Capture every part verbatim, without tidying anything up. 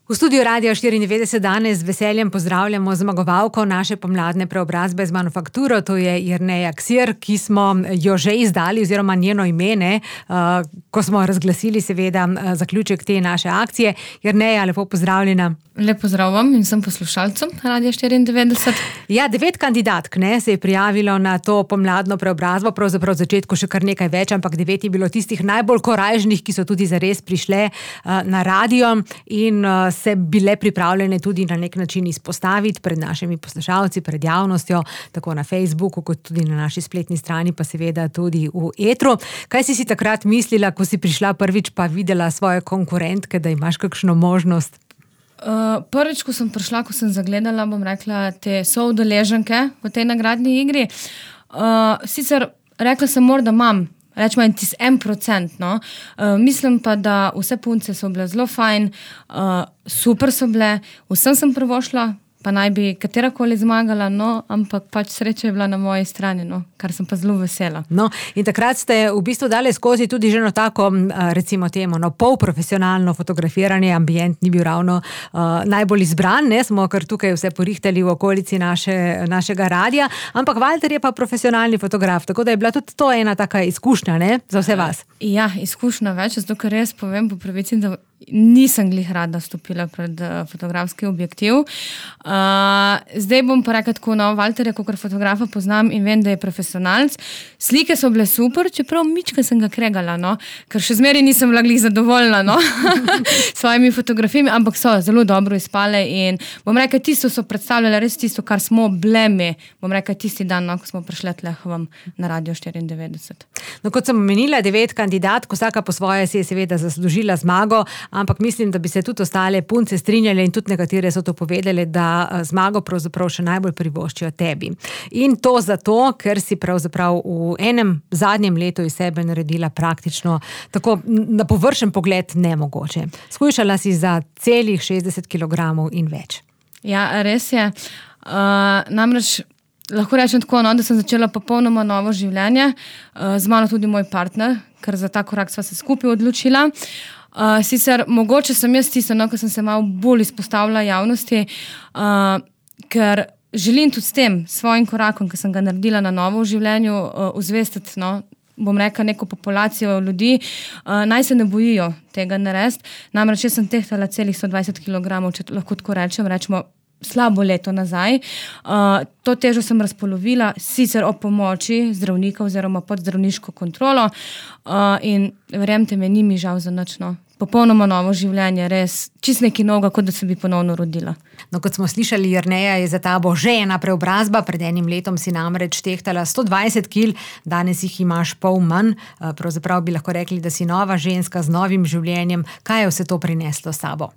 V studiu Radia štiriindevetdeset danes z veseljem pozdravljamo zmagovalko naše pomladne preobrazbe z Manufakturo, to je Jerneja Ksir, ki smo jo že izdali oziroma njeno ime, uh, ko smo razglasili seveda zaključek te naše akcije. Jerneja, lepo pozdravljena. Lep pozdrav vam in vsem poslušalcem Radia štiriindevetdeset. Ja, devet kandidatk ne, se je prijavilo na to pomladno preobrazbo, pravzaprav v začetku še kar nekaj več, ampak devet je bilo tistih najbolj korajžnih, ki so tudi zares prišle uh, na radio in uh, se bile pripravljene tudi na nek način izpostaviti pred našimi poslušalci, pred javnostjo, tako na Facebooku, kot tudi na naši spletni strani, pa seveda tudi v etru. Kaj si si takrat mislila, ko si prišla prvič pa videla svoje konkurentke, da imaš kakšno možnost? Uh, prvič, ko sem prišla, ko sem zagledala, bom rekla, te soudeleženke v tej nagradni igri, uh, sicer rekla sem morda imam, rečemo en tis en procent, no. Uh, mislim pa, da vse punce so bile zelo fajn, uh, super so bile, vsem sem prvošla, pa naj bi katerakoli zmagala, no, ampak pač sreča je bila na moji strani, no, kar sem pa zelo vesela. No, in takrat ste v bistvu dali skozi tudi že no tako, recimo temu, no, polprofesionalno fotografiranje, ambient ni bil ravno uh, najbolj izbran, ne, smo kar tukaj vse porihtali v okolici naše, našega radia, ampak Valter je pa profesionalni fotograf, tako da je bila tudi to ena taka izkušnja, ne, za vse vas. Ja, izkušnja več, zato ker res povem po pravici, da nisem glih rada stopila pred uh, fotografski objektiv. Uh, zdaj bom pa rekla tako, no, Valterja, kakor fotografa poznam in vem, da je profesionalc. Slike so bile super, čeprav mička sem ga kregala, no, ker še zmeraj nisem bila glih zadovoljna, no, s svojimi fotografijami, ampak so zelo dobro izpale in bom rekla, tisto so predstavljale res tisto, kar smo bleme, bom rekla, tisti dan, no, ko smo prišli tle vam na Radio štiriindevetdeset. No, kot sem omenila, devet kandidatk, vsaka po svoje si je seveda zaslužila zmago, ampak mislim, da bi se tudi ostale punce strinjale in tudi nekatere so to povedale, da zmago pravzaprav še najbolj privoščijo tebi. In to zato, ker si pravzaprav v enem zadnjem letu iz sebe naredila praktično tako na površen pogled nemogoče. Skušala si za celih šestdeset kilogramov in več. Ja, res je. Uh, namreč lahko rečem tako, no, da sem začela popolnoma novo življenje, uh, z mano tudi moj partner, ker za ta korak sva se skupaj odločila. Uh, sicer mogoče sem jaz tisto, no, ko sem se malo bolj izpostavila javnosti, uh, ker želim tudi s tem svojim korakom, ki sem ga naredila na novo v življenju, uh, uzvestiti, no, bom rekla, neko populacijo ljudi, uh, naj se ne bojijo tega narediti. Namreč jaz sem tehtala celih sto dvajset kilogramov, če lahko tako rečem, rečemo slabo leto nazaj. Uh, to težo sem razpolovila, sicer o pomoči zdravnika oziroma pod zdravniško kontrolo uh, in verjemte me, ni mi žal za nič, no. Popolnoma novo življenje, res čist nekaj novega, kot da se bi ponovno rodila. No, kot smo slišali, Jerneja, je za tabo že ena preobrazba, pred enim letom si namreč tehtala sto dvajset kil, danes jih imaš pol manj, pravzaprav bi lahko rekli, da si nova ženska z novim življenjem. Kaj je vse to prineslo s sabo?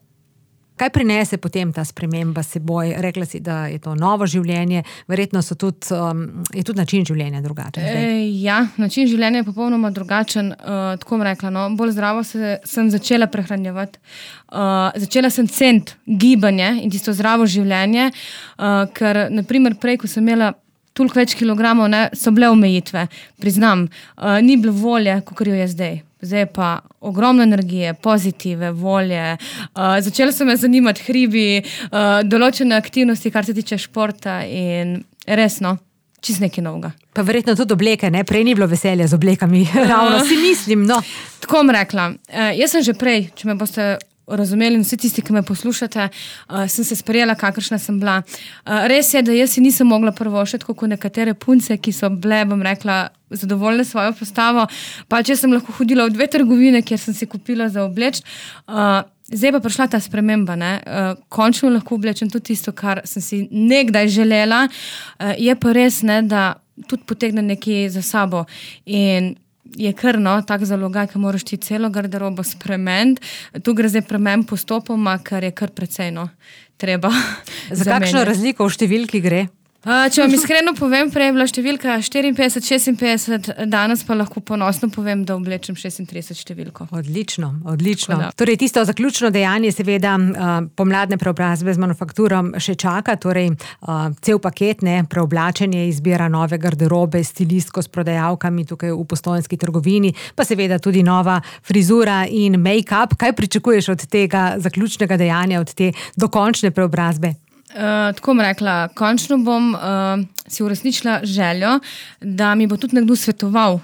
Kaj prinese potem ta sprememba seboj? Rekla si, da je to novo življenje, verjetno so tudi, um, je tudi način življenja drugačen. E, ja, način življenja je popolnoma drugačen. Uh, tako bom rekla, no, bolj zdravo se, sem začela prehranjevati. Uh, začela sem ceniti gibanje in tisto zdravo življenje, uh, ker, naprimer, prej, ko sem imela toliko več kilogramov, ne, so bile omejitve, priznam. Uh, ni bilo volje, kakor jo je zdaj. Zdaj pa ogromno energije, pozitive, volje. Uh, začela so me zanimati hribi, uh, določene aktivnosti, kar se tiče športa in resno, čist nekaj novega. Pa verjetno tudi obleke, ne? Prej ni bilo veselja z oblekami, ravno si mislim, no. Tako bom rekla. Uh, jaz sem že prej, če me boste razumeli in vsi tisti, ki me poslušate, uh, sem se sprejela, kakršna sem bila. Uh, res je, da jaz si nisem mogla prvošiti, kot nekatere punce, ki so bile, bom rekla, zadovoljne svojo postavo. Pa če sem lahko hodila v dve trgovine, kjer sem si kupila za obleč, uh, zdaj pa prišla ta sprememba, ne. Uh, končno lahko oblečem tudi tisto, kar sem si nekdaj želela. Uh, je pa res, ne, da tudi potegne nekaj za sabo. In je kar, no, tak zalogaj, ki moraš ti celo garderobo spremeniti. Tu gre zdaj premen postopoma, kar je kar precej, no, treba Za kakšno razliko v številki gre? Uh, če vam iskreno povem, prej je bila številka štiriinpetdeset, šestinpetdeset, danes pa lahko ponosno povem, da oblečem šestintrideset številko. Odlično, odlično. Torej, tisto zaključno dejanje, seveda, uh, pomladne preobrazbe z manufakturom še čaka, torej uh, cel paket, ne, preoblačenje, izbira nove garderobe, stilistko s prodajalkami tukaj v Postojnski trgovini, pa seveda tudi nova frizura in make-up. Kaj pričakuješ od tega zaključnega dejanja, od te dokončne preobrazbe? Uh, tako bom rekla, končno bom uh, si uresničila željo, da mi bo tudi nekdo svetoval,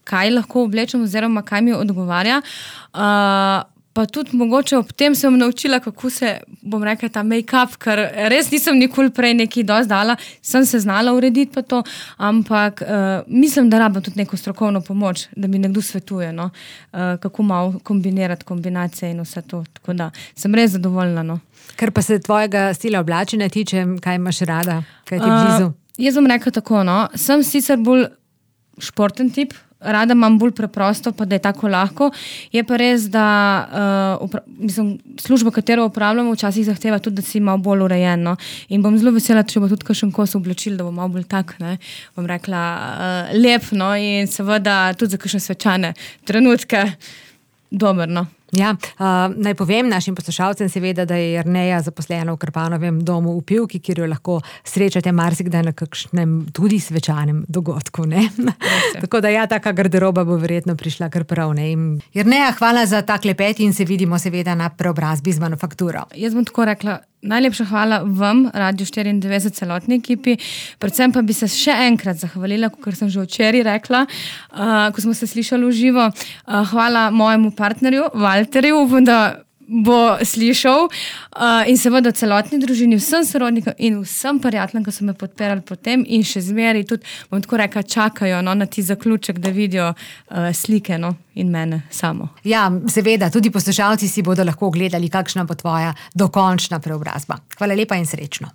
kaj lahko oblečem oziroma kaj mi odgovarja. Uh, pa tudi mogoče ob tem sem naučila, kako se, bom rekla, ta make-up, ker res nisem nikoli prej nekaj dosti dala, sem se znala urediti pa to, ampak uh, mislim, da rabim tudi neko strokovno pomoč, da mi nekdo svetuje, no? uh, kako malo kombinirati kombinacije in vse to. Tako da sem res zadovoljna. No? Ker pa se tvojega stila oblačenja tiče, kaj imaš rada, kaj ti je blizu? Uh, jaz bom rekla tako, no, sem sicer bolj športen tip, rada imam bolj preprosto, pa da je tako lahko. Je pa res, da uh, upra- mislim, služba, katero upravljamo, včasih zahteva tudi, da si malo bolj urejen. No? In bom zelo vesela, če bo tudi kakšen kos oblačil, da bo malo bolj tak, ne, bom rekla, uh, lep, no, in seveda tudi za kakšne svečane trenutke dober, no. Ja, uh, naj povem našim poslušalcem seveda, da je Jerneja zaposlena v Krpanovem domu v Pivki, kjer jo lahko srečate marsikdaj na kakšnem tudi svečanem dogodku, ne? Tako da ja, taka garderoba bo verjetno prišla kar prav, ne? Jerneja, hvala za ta klepet in se vidimo seveda na preobrazbi z manufakturo. Jaz bom tako rekla, najlepša hvala vam, Radio štiriindevetdeset, celotni ekipi, predvsem pa bi se še enkrat zahvalila, kot sem že včeraj rekla, uh, ko smo se slišali v živo. Uh, hvala mojemu partnerju, Valterju, upam, da bo slišal, uh, in seveda celotni družini, vsem sorodnikom in vsem prijateljem, ki so me podpirali potem in še zmeri tudi, bom tako rekla, čakajo, no, na ti zaključek, da vidijo uh, slike, no, in mene samo. Ja, seveda, tudi poslušalci si bodo lahko ogledali, kakšna bo tvoja dokončna preobrazba. Hvala lepa in srečno.